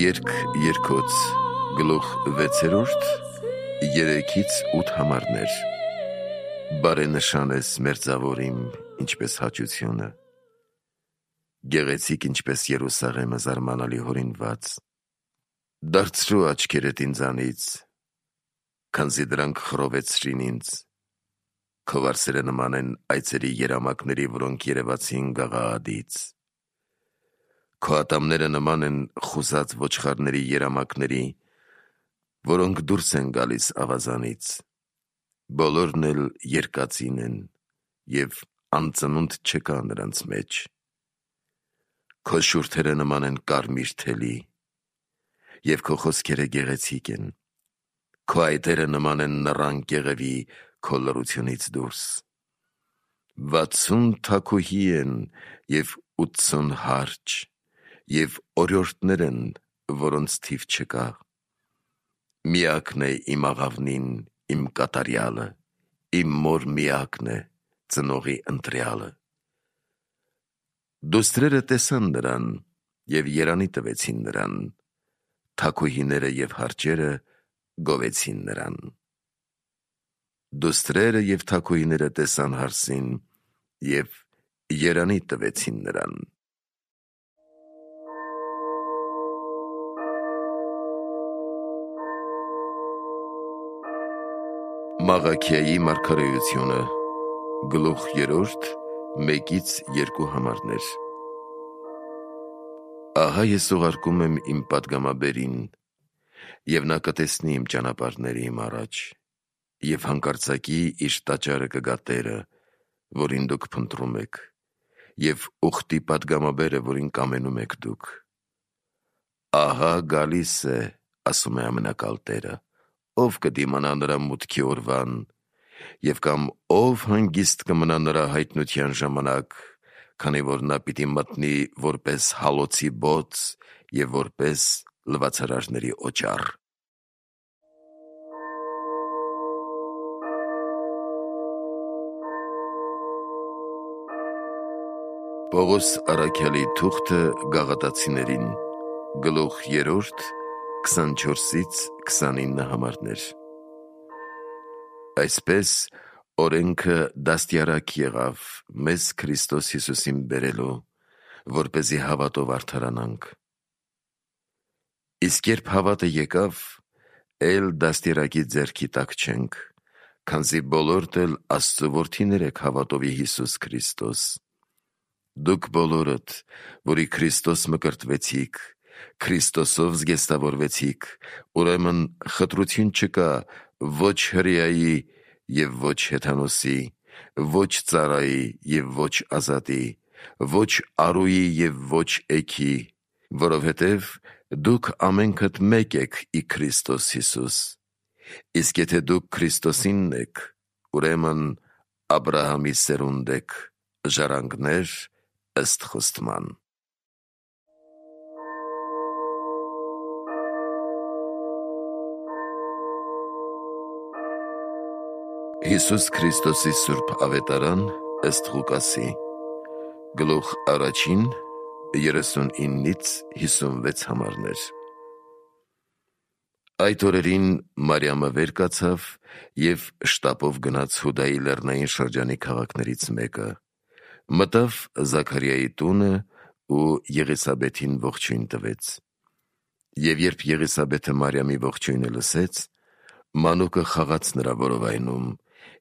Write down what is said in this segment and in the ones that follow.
Երգ երկոց գլուխ 6-րդ 3-8 համարներ։ Բարենշան ես մերձավորիմ, ինչպես հաճությունը, գեղեցիկ ինչպես Երուսաղեմը զարմանալի հորինված։ Դարձրու աչքերդ ինձանից, քանզի դրանք խռովեցրին ինձ, քո վարսերը նման են այծերի երամակների, որոնք երևացին գաղաղադից։ Քո ատամները նման են խուզած ոչխարների երամակների, որոնք դուրս են գալիս ավազանից, բոլորն էլ երկածին են, և անծնունդ չկա նրանց մեջ։ Քո շուրթերը նման են կարմիր թելի, և քո խոսքերը գեղեցիկ են, քո այտերը նման են նռան կեղևի քո լռությունից դուրս։ 60 թագուհի են և 80 հարջ, և օրիորդներ են, որոնց թիվ չկա։ Միակն է իմ աղավնին, իմ կատարյալը, իմ մոր միակն է, ծնողի ընտրյալը։ Դուստրերը տեսան նրան և երանի տվեցին նրան, թագուհիները և հարջերը գովեցին նրան։ Դուստրերը և թագուհիները տեսան հարսին և երանի տվեցին նրան։ Մաղաքիայի մարգարեությունը գլուխ 3 1-2 համարներ։ Ահա ես ուղարկում եմ իմ պատգամաբերին, և նա կտեսնի իմ ճանապարհները իմ առաջ, և հանկարծակի իր տաճարը կգա Տերը, որին դուք փնտրում եք, և ուխտի պատգամաբերը, որին կամենում եք դուք։ Ահա գալիս է, ասում է Ամենակալ Տերը, ով կդիմանա նրա մուտքի օրվան, և կամ ով հանգիստ կմնա նրա հայտնության ժամանակ, քանի որ նա պիտի մտնի որպես հալոցի բոծ և որպես լվացարարների օճառ։ Պողոս առաքյալի թուղթը Գաղատացիներին գլուխ 3 24-29 համարներ։ Այսպես օրենքը դաստիարակ եղավ մեզ Քրիստոս Հիսուսին բերելու, որպեսզի հավատով արդարանանք։ Իսկ երբ հավատը եկավ, էլ դաստիարակի ձեռքի տակ չենք, քանզի բոլորդ էլ Աստծու որդիներ եք հավատովի Հիսուս Քրիստոս։ Դուք բոլորդ, որի Քրիստոս մկրտվեցիք, Քրիստոսով զգեստավորվեցիք, ուրեմն խտրություն չկա ոչ հրեայի և ոչ հեթանոսի, ոչ ծառայի և ոչ ազատի, ոչ առուի և ոչ էգի, որովհետև դուք ամենքդ մեկ եք ի Քրիստոս Հիսուս։ Իսկ եթե դուք Քրիստոսինն եք, ուրեմն Աբրահամի սերունդ եք, ժառանգներ ըստ խոստման։ Հիսուս Քրիստոսի սուրբ ավետարան ըստ Ղուկասի գլուխ 1 39-56 համարներ։ Այդ օրերին Մարիամը վեր կացավ և շտապով գնաց Հուդայի լեռնային շրջանի քաղաքներից մեկը, մտավ Զաքարիայի տունը ու Եղիսաբեթին ողջույն տվեց։ Եվ երբ Եղիսաբեթը Մարիամի ողջույնը լսեց, մանուկը խաղաց նրա որովայնում,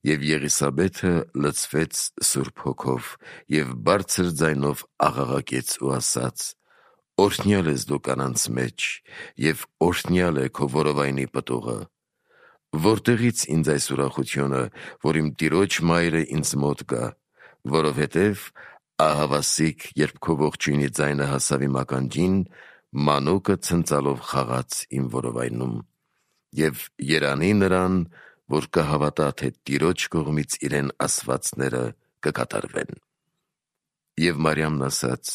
և Եղիսաբեթը լցվեց Սուրբ Հոգով և բարձր ձայնով աղաղակեց ու ասաց. «Օրհնյալ ես դու կանանց մեջ, և օրհնյալ է քո որովայնի պտուղը։ Որտեղից ինձ այս ուրախությունը, որ իմ տիրոջ մայրը ինձ մոտ գա, որովհետև ահավասիկ, երբ քո ողջույնի ձայնը հասավ իմ ականջին, մանուկը ցնծալով խաղաց իմ որովայնում։ Եվ երանի նրան, որ կհավատա, թե Տիրոջ կողմից իրեն ասվածները կկատարվեն»։ Եվ Մարիամն ասաց.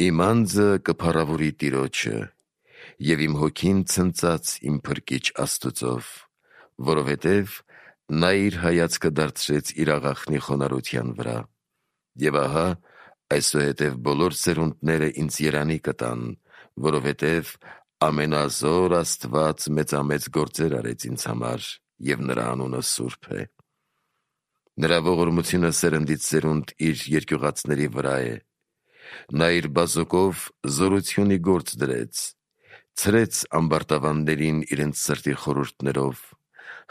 «Իմ անձը կփառավորի Տիրոջը, և իմ հոգին ցնծաց իմ Փրկիչ Աստուծով, որովհետև նա իր հայացքը դարձրեց իր աղախնի խոնարհության վրա։ Եվ ահա, այսուհետև բոլոր սերունդները ինձ երանի կտան, որովհետև ամենազոր Աստված մեծամեծ գործեր արեց ինձ համար, և նրա անունը սուրբ է։ Նրա ողորմությունը սերնդից սերունդ իր երկյուղածների վրա է։ Նա իր բազուկով զորությունի գործ դրեց, ցրեց ամբարտավաններին իրենց սրտի խորհուրդներով,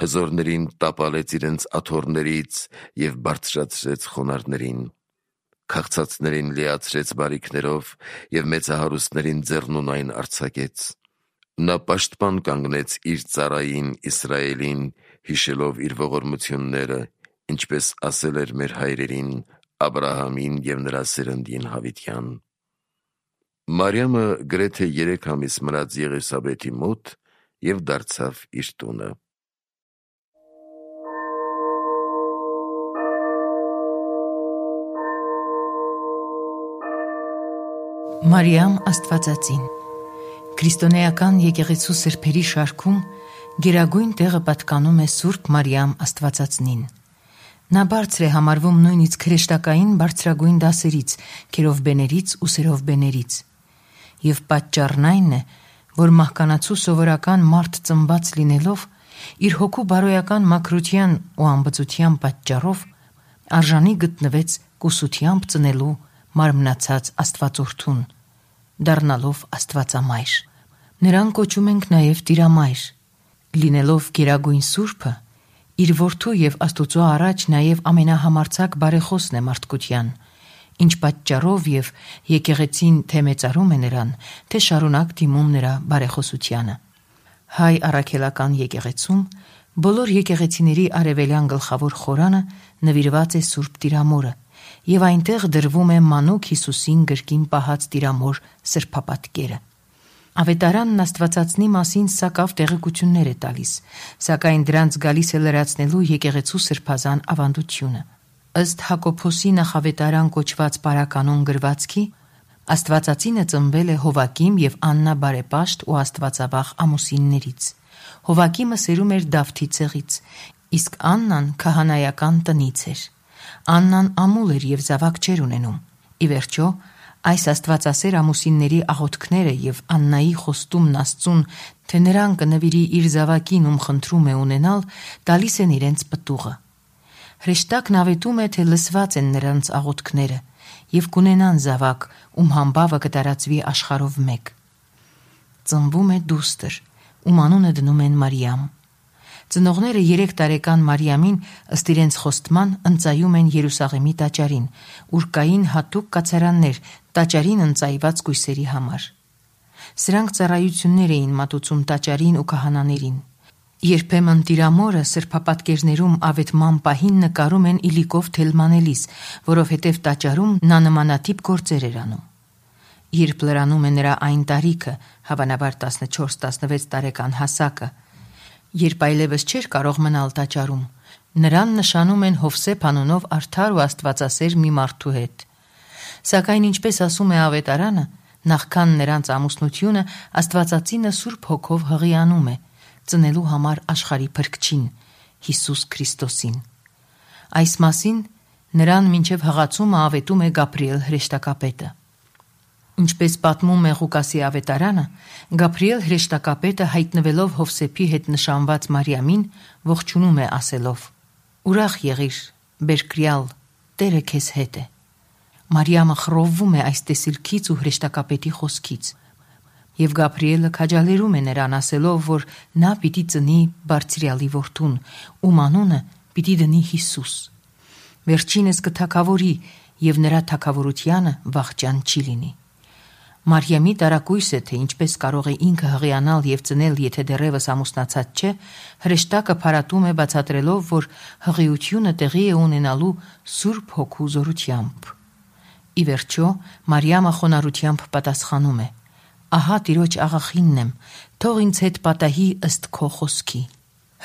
հզորներին տապալեց իրենց աթոռներից և բարձրացրեց խոնարհներին, քաղցածներին լիացրեց բարիքներով և մեծահարուստներին ձեռնունայն արձակեց։ Նա պաշտպան կանգնեց իր ծառային Իսրայելին, հիշելով իր ողորմությունները, ինչպես ասել էր մեր հայրերին, Աբրահամին և նրա սերնդին հավիտյան։ Մարիամը գրեթե 3 ամիս մնաց Եղիսաբեթի մոտ և դարձավ իր տունը։ Մարիամ Աստվածածին Քրիստոնեական եկեղեցու սրբերի շարքում գերագույն տեղը պատկանում է Սուրբ Մարիամ Աստվածածնին։ Նա բարձր է համարվում նույնիսկ հրեշտակային բարձրագույն դասերից, քերովբեներից ու սերովբեներից։ Եվ պատճառն այն է, որ մահկանացու սովորական մարդ ծնված լինելով, իր հոգու բարոյական մաքրության ու ամբծության պատճառով արժանի գտնվեց կուսությամբ ծնելու մարմնացած Աստվածորդուն, դառնալով Աստվածամայր։ Նրան կոչում ենք նաև Տիրամայր։ Լինելով գերագույն Սուրբը, իր որդու և Աստուծո առաջ նաև ամենահամարձակ բարեխոսն է մարդկության, ինչ պատճառով և եկեղեցին թե մեծարում է նրան, թե շարունակ դիմում նրա բարեխոսությանը։ Հայ առաքելական եկեղեցում բոլոր եկեղեցիների արևելյան գլխավոր խորանը նվիրված է Սուրբ Տիրամորը, և այնտեղ դրվում է մանուկ Հիսուսին գրկին պահած Տիրամոր սրբապատկերը։ Ավետարանն Աստվածածնի մասին սակավ տեղեկություններ է տալիս, սակայն դրանց գալիս է լրացնելու եկեղեցու սրբազան ավանդությունը։ Ըստ Հակոբոսի նախավետարան կոչված պարականոն գրվածքի, Աստվածածինը ծնվել է Հովակիմ և Աննա բարեպաշտ ու աստվածավախ ամուսիններից։ Հովակիմը սերում էր Դավթի ցեղից, իսկ Աննան քահանայական տնից էր։ Աննան ամուլ էր և զավակ չէր ունենում։ Ի վերջո, այս աստվածասեր ամուսինների աղոթքները և Աննայի խոստումն Աստծուն, թե նրան կնվիրի իր զավակին, ում խնդրում է ունենալ, տալիս են իրենց պտուղը։ Հրեշտակն ավետում է, թե լսված են նրանց աղոթքները և կունենան զավակ, ում համբավը կտարածվի աշխարհով մեկ։ Ծնվում է դուստր, ում անունը դնում են Մարիամ։ Ծնողները 3 տարեկան Մարիամին ըստ իրենց խոստման ընծայում են Երուսաղեմի տաճարին, ուր կային հատուկ կացարաններ տաճարին ընծայված կույսերի համար։ Սրանք ծառայություններ էին մատուցում տաճարին ու քահանաներին։ Երբեմն Տիրամորը սրբապատկերներում ավետման պահին նկարում են իլիկով թելմանելիս, որովհետև տաճարում նա նմանատիպ գործեր էր անում։ Երբ լրանում է նրա այն տարիքը, հավանաբար 14-16 տարեկան հասակը, երբ այլևս չէր կարող մնալ տաճարում, նրան նշանում են Հովսեփ անունով արդար ու աստվածասեր մի մարդու հետ։ Սակայն ինչպես ասում է ավետարանը, նախքան նրանց ամուսնությունը Աստվածածինը Սուրբ Հոգով հղիանում է, ծնելու համար աշխարհի Փրկչին, Հիսուս Քրիստոսին։ Այս մասին նրան մինչև հղացումը ավետում է Գաբրիել հրեշտակապետը։ Ինչպես պատմում է Ղուկասի ավետարանը, Գաբրիել հրեշտակապետը հայտնվելով Հովսեփի հետ նշանված Մարիամին, ողջունում է ասելով. «Ուրախ եղիր, բերկրյալ, Տերը քեզ հետ է»։ Մարիամը խռովվում է այս տեսիլքից ու հրեշտակապետի խոսքից, և Գաբրիելը քաջալերում է նրան ասելով, որ նա պիտի ծնի Բարձրյալի որդուն, ում անունը պիտի դնի Հիսուս։ Վերջինս կթագավորի, և նրա թագավորությանը վախճան չի լինի։ Մարիամի տարակույս է, թե ինչպես կարող է ինքը հղիանալ և ծնել, եթե դեռևս ամուսնացած չէ, հրեշտակը փարատում է բացատրելով, որ հղիությունը տեղի է ունենալու Սուրբ Հոգու զորությամբ։ Ի վերջո, Մարիամը խոնարհությամբ պատասխանում է. «Ահա Տիրոջ աղախինն եմ, թող ինձ հետ պատահի ըստ քո խոսքի»։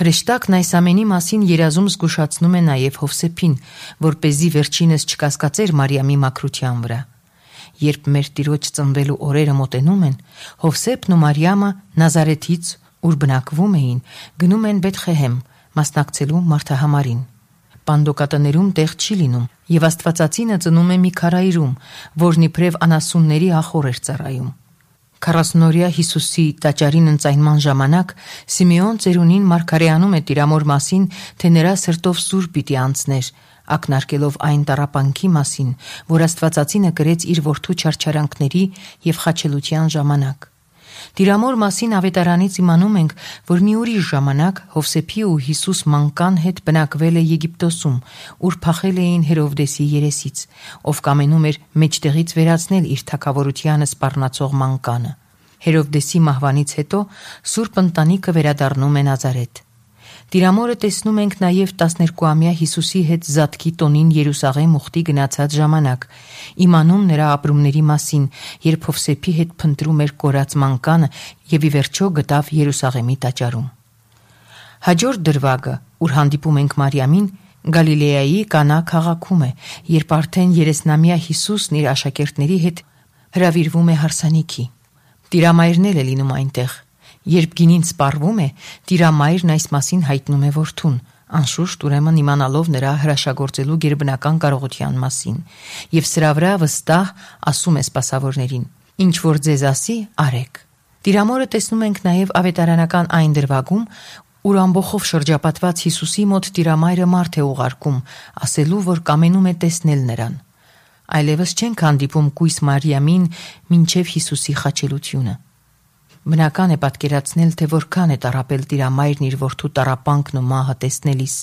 Հրեշտակն այս ամենի մասին երազում զգուշացնում է նաև Հովսեփին, որպեսզի վերջինս չկասկածեր Մարիամի մաքրության վրա։ Երբ մեր Տիրոջ ծնվելու օրերը մոտենում են, Հովսեփն ու Մարիամը Նազարեթից, ուր բնակվում էին, գնում են Բեթխեհեմ, մասնակցելու մարդահամարին։ Պանդոկատներում տեղ չի լինում, և Աստվածածինը ծնում է մի քարայրում, որն իբրև անասունների ախոռ էր ծառայում։ 40-օրյա Հիսուսի տաճարին ընծայնման ժամանակ Սիմեոն ծերունին մարգարեանում է Տիրամոր մասին, թե նրա սրտով սուր պիտի անցներ, ակնարկելով այն տառապանքի մասին, որ Աստվածածինը կրեց իր որդու չարչարանքների և խաչելության ժամանակ։ Տիրամոր մասին ավետարանից իմանում ենք, որ մի ուրիշ ժամանակ Հովսեփի ու Հիսուս մանկան հետ բնակվել է Եգիպտոսում, ուր փախել էին Հերովդեսի երեսից, ով կամենում էր մեջտեղից վերացնել իր թագավորությանը սպառնացող մանկանը։ Հերովդեսի մահվանից հետո սուրբ ընտանիքը վերադառնում է Նազարեթ։ Տիրամորը տեսնում ենք նաև 12-ամյա Հիսուսի հետ Զատկի տոնին Երուսաղեմ ուխտի գնացած ժամանակ, իմանում նրա ապրումների մասին, երբ Հովսեփի հետ փնտրում էր կորած մանկանը և ի վերջո գտավ Երուսաղեմի տաճարում։ Հաջորդ դրվագը, ուր հանդիպում ենք Մարիամին, Գալիլեայի Կանա քաղաքում է, երբ արդեն 30-ամյա Հիսուսն իր աշակերտների հետ հրավիրվում է հարսանիքի։ Տիրամայրն էլ է լինում այնտեղ։ Երբ գինին սպառվում է, Տիրամայրն այս մասին հայտնում է որդուն, անշուշտ ուրեմն իմանալով նրա հրաշագործելու գերբնական կարողության մասին, և սրա վրա վստահ ասում է սպասավորներին. «Ինչ որ ձեզ ասի, արեք»։ Տիրամորը տեսնում ենք նաև ավետարանական այն դրվագում, ուր ամբոխով շրջապատված Հիսուսի մոտ Տիրամայրը մարդ է ուղարկում, ասելու, որ կամենում է տեսնել նրան։ Այլևս չենք հանդիպում կույս Մարիամին մինչև Հիսուսի խաչելությունը։ Բնական է պատկերացնել, թե որքան է տառապել Տիրամայրն իր որդու տառապանքն ու մահը տեսնելիս։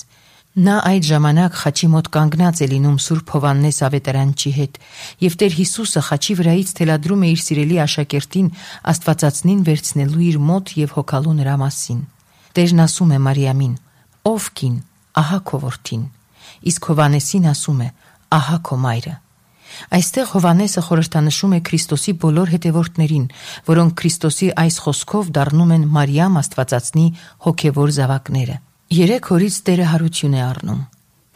Նա այդ ժամանակ խաչի մոտ կանգնած է լինում Սուրբ Հովհաննես ավետարանչի հետ, և Տեր Հիսուսը խաչի վրայից թելադրում է իր սիրելի աշակերտին Աստվածածնին վերցնելու իր մոտ և հոգալու նրա մասին։ Տերն ասում է Մարիամին. «Ով կին, ահա քո որդին», իսկ Հովհաննեսին ասում է. «Ահա քո մայրը»։ Այստեղ Հովհաննեսը խորհրդանշում է Քրիստոսի բոլոր հետևորդներին, որոնք Քրիստոսի այս խոսքով դառնում են Մարիամ Աստվածածնի հոգևոր զավակները։ 3 օրից Տերը հարություն է առնում։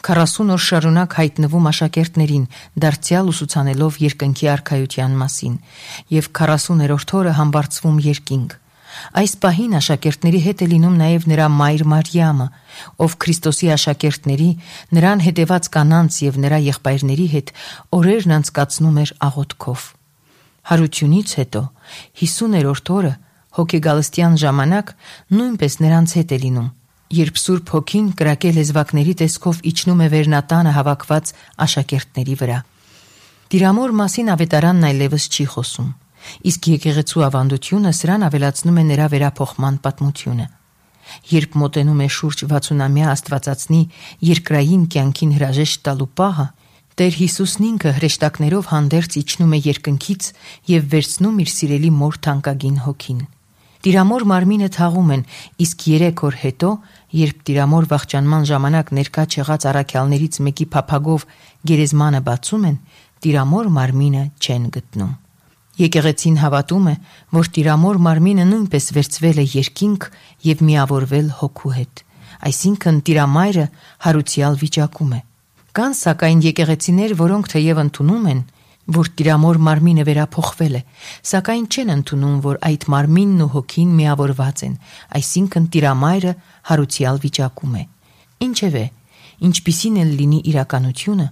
40 օր շարունակ հայտնվում աշակերտներին, դարձյալ ուսուցանելով երկնքի արքայության մասին, և 40-րդ օրը համբարձվում երկինք։ Այս պահին աշակերտների հետ է լինում նաև նրա մայր Մարիամը, ով Քրիստոսի աշակերտների, նրան հետևած կանանց և նրա եղբայրների հետ օրերն անցկացնում էր աղոթքով։ Հարությունից հետո 50-րդ օրը հոգեգալստյան ժամանակ նույնպես նրանց հետ է լինում, երբ Սուրբ Հոգին կրակե լեզվակների տեսքով իջնում է վերնատանը հավաքված աշակերտների վրա։ Տիրամոր մասին ավետարանն այլևս չի խոսում, իսկ եկեղեցու ավանդությունը սրան ավելացնում է նրա վերափոխման պատմությունը։ Երբ մոտենում է շուրջ 60-ամյա Աստվածածնի երկրային կյանքին հրաժեշտ տալու պահը, Տեր Հիսուսն ինքը հրեշտակներով հանդերձ իջնում է երկնքից և վերցնում իր սիրելի մոր թանկագին հոգին։ Տիրամոր մարմինը թաղում են, իսկ 3 օր հետո, երբ Տիրամոր վախճանման ժամանակ ներկա չեղած առաքյալներից մեկի փափագով գերեզմանը բացում են, Տիրամոր մարմինը չեն գտնում։ Եկեղեցին հավատում է, որ Տիրամոր մարմինը նույնպես վերցվել է երկինք և միավորվել հոգու հետ, այսինքն Տիրամայրը հարուցյալ վիճակում է։ Կան սակայն եկեղեցիներ, որոնք թեև ընդունում են, որ Տիրամոր մարմինը վերափոխվել է, սակայն չեն ընդունում, որ այդ մարմինն ու հոգին միավորված են, այսինքն Տիրամայրը հարուցյալ վիճակում է։ Ինչևէ, ինչպիսին էլ լինի իրականությունը,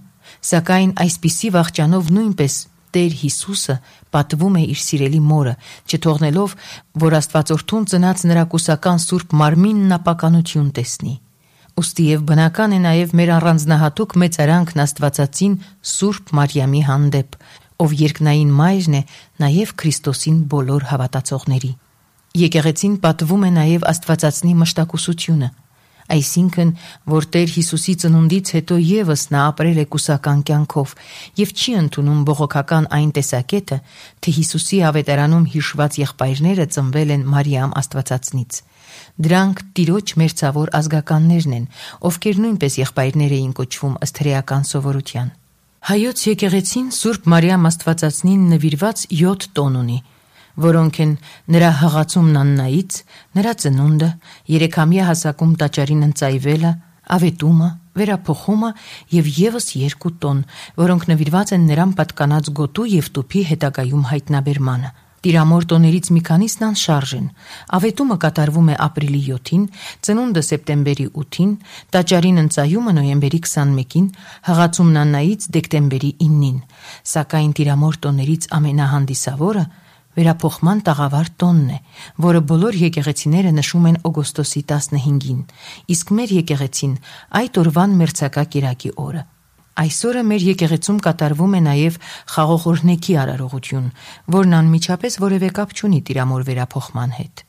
սակայն այսպիսի վախճանով նույնպես Տեր Հիսուսը պատվում է իր սիրելի մորը, չթողնելով, որ Աստվածորդուն ծնած նրա կուսական սուրբ մարմինն ապականություն տեսնի։ Ուստի և բնական է նաև մեր առանձնահատուկ մեծարանքն Աստվածածին Սուրբ Մարիամի հանդեպ, ով երկնային մայրն է նաև Քրիստոսին բոլոր հավատացողների։ Եկեղեցին պատվում է նաև Աստվածածնի մշտակուսությունը, այսինքն, որ Տեր Հիսուսի ծնունդից հետո ևս նա ապրել է կուսական կյանքով և չի ընդունում բողոքական այն տեսակետը, թե Հիսուսի ավետարանում հիշված եղբայրները ծնվել են Մարիամ Աստվածածնից։ Դրանք Տիրոջ մերձավոր ազգականներն են, ովքեր նույնպես եղբայրներ էին կոչվում ըստ հրեական սովորության։ Հայոց եկեղեցին Սուրբ Մարիամ Աստվածածնին նվիրված 7 տոն ունի, որոնք են նրա հղացումն Աննայից, նրա ծնունդը, 3-ամյա հասակում տաճարին ընծայվելը, ավետումը, վերափոխումը և ևս 2 տոն, որոնք նվիրված են նրան պատկանած գոտու և տուփի հետագայում հայտնաբերմանը։ Տիրամոր տոներից մի քանիսն անշարժ են։ Ավետումը կատարվում է ապրիլի 7-ին, ծնունդը սեպտեմբերի 8-ին, տաճարին ընծայումը նոյեմբերի 21-ին, հղացումն Աննայից դեկտեմբերի 9-ին, սակայն Տիրամոր տոներից ամենահանդիսավորը Վերափոխման տաղավար տոնն է, որը բոլոր եկեղեցիները նշում են օգոստոսի 15-ին, իսկ մեր եկեղեցին այդ օրվան մերձակա կիրակի օրը։ Այսօրը մեր եկեղեցում կատարվում է նաև խաղողորհնեքի արարողություն, որն անմիջապես որևէ կապ չունի Տիրամոր վերափոխման հետ։